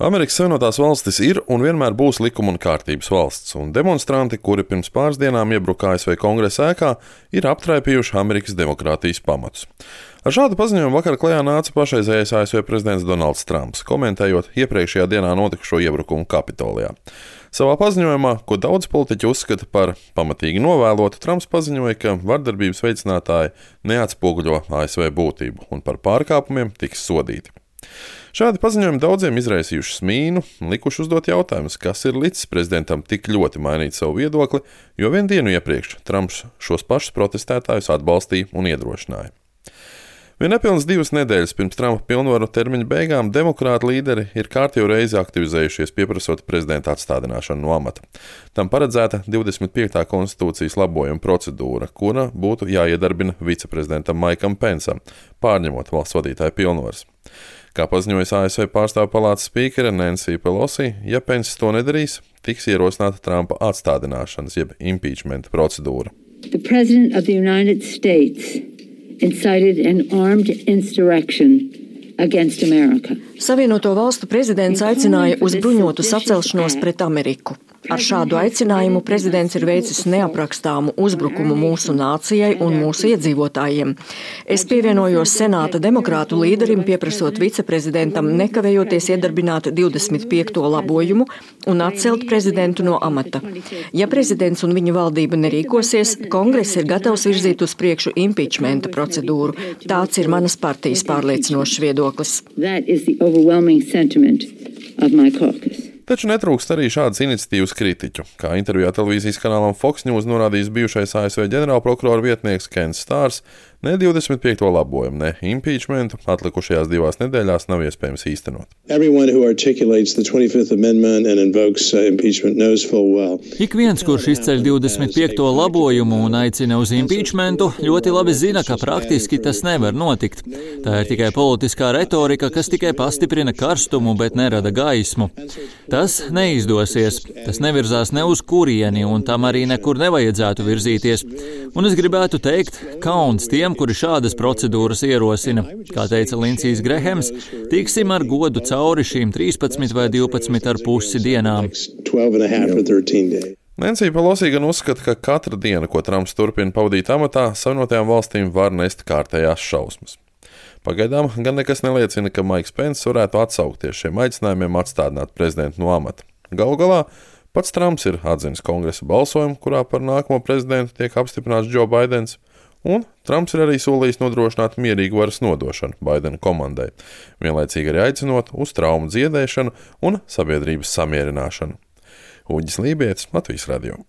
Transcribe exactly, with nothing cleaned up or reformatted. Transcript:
Amerikas Savienotās valstis ir un vienmēr būs likuma un kārtības valsts, un demonstranti, kuri pirms pāris dienām iebruka A S V Kongresa ēkā, ir aptraipījuši Amerikas demokrātijas pamatus. Ar šādu paziņojumu vakar klajā nāca pašreizējais A S V prezidents Donalds Trumps, komentējot iepriekšējā dienā notikušo iebrukumu Kapitolijā. Savā paziņojumā, ko daudz politiķi uzskata par pamatīgi novēlotu, Trumps paziņoja, ka vardarbības veicinātāji neatspoguļo A S V būtību un par pārkāpumiem tiks sodīti. Šādi paziņojumi daudziem izraisījuši smīnu un likuši uzdot jautājumus, kas ir licis prezidentam tik ļoti mainīt savu viedokli, jo vien dienu iepriekš Trumps šos pašus protestētājus atbalstīja un iedrošināja. Vien nepilnas divas nedēļas pirms Trumpa pilnvaru termiņa beigām demokrātu līderi ir kārtīgi reizi aktivizējušies, pieprasot prezidenta atstādināšanu no amata. Tam paredzēta divdesmit piektā konstitūcijas labojuma procedūra, kura būtu jāiedarbina viceprezidentam Maikam Pensam, pārņemot valsts vadītāja pilnvaras. Kā paziņojas A S V pārstāvju palātas spīkere Nancy Pelosi, ja Pence to nedarīs, tiks ierosināta Trumpa atstādināšanas jeb impeachment procedūra. The President of the United States incited an armed insurrection against America. Savienoto valstu prezidents aicināja uz bruņotu sacelšanos pret Ameriku. Ar šādu aicinājumu prezidents ir veicis neaprakstāmu uzbrukumu mūsu nācijai un mūsu iedzīvotājiem. Es pievienojos senāta demokrātu līderim, pieprasot viceprezidentam nekavējoties iedarbināt divdesmit piekto labojumu un atcelt prezidentu no amata. Ja prezidents un viņa valdība nerīkosies, Kongress ir gatavs virzīt uz priekšu impeachmenta procedūru. Tāds ir manas partijas pārliecinošs viedoklis. Taču netrūkst arī šādas iniciatīvas kritiķu, kā intervijā televīzijas kanālam Fox News norādījis bijušais A S V ģenerālprokurora vietnieks Kens Stārs, ne divdesmit piekto labojumu, ne impeachmentu atlikušajās divās nedēļās nav iespējams īstenot. Ik viens, kurš izceļ divdesmit piekto labojumu un aicina uz impeachmentu, ļoti labi zina, ka praktiski tas nevar notikt. Tā ir tikai politiskā retorika, kas tikai pastiprina karstumu, bet nerada gaismu. Tas neizdosies, tas nevirzās ne uz kurieni, un tam arī nekur nevajadzētu virzīties. Un es gribētu teikt, kauns tiem, kuri šādas procedūras ierosina. Kā teica Lindsijs Grehems, tiksim ar godu cauri šīm trīspadsmit vai divpadsmit ar pusi dienām. Nancy Pelosi gan uzskata, ka katra diena, ko Trumps turpina pavadīt amatā, Savienotajām valstīm var nest kārtējās šausmas. Pagaidām gan nekas neliecina, ka Maiks Pence varētu atsaukties šiem aicinājumiem atstādināt prezidentu no amata. Galu galā pats Trumps ir atzinis kongresa balsojumu, kurā par nākamo prezidentu tiek apstiprināts Joe Baidens, un Trumps ir arī solījis nodrošināt mierīgu varas nodošanu Baidena komandai, vienlaicīgi arī aicinot uz traumu dziedēšanu un sabiedrības samierināšanu. Uģis Lībietis, Latvijas radio.